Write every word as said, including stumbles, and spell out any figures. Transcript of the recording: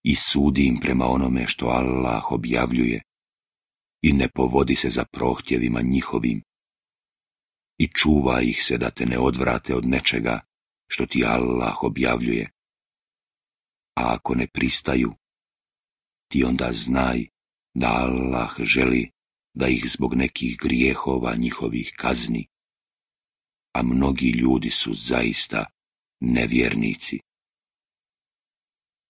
i sudi im prema onome što Allah objavljuje i ne povodi se za prohtjevima njihovim i čuva ih se da te ne odvrate od nečega što ti Allah objavljuje. A ako ne pristaju, ti onda znaj da Allah želi da ih zbog nekih grijehova njihovih kazni, a mnogi ljudi su zaista nevjernici.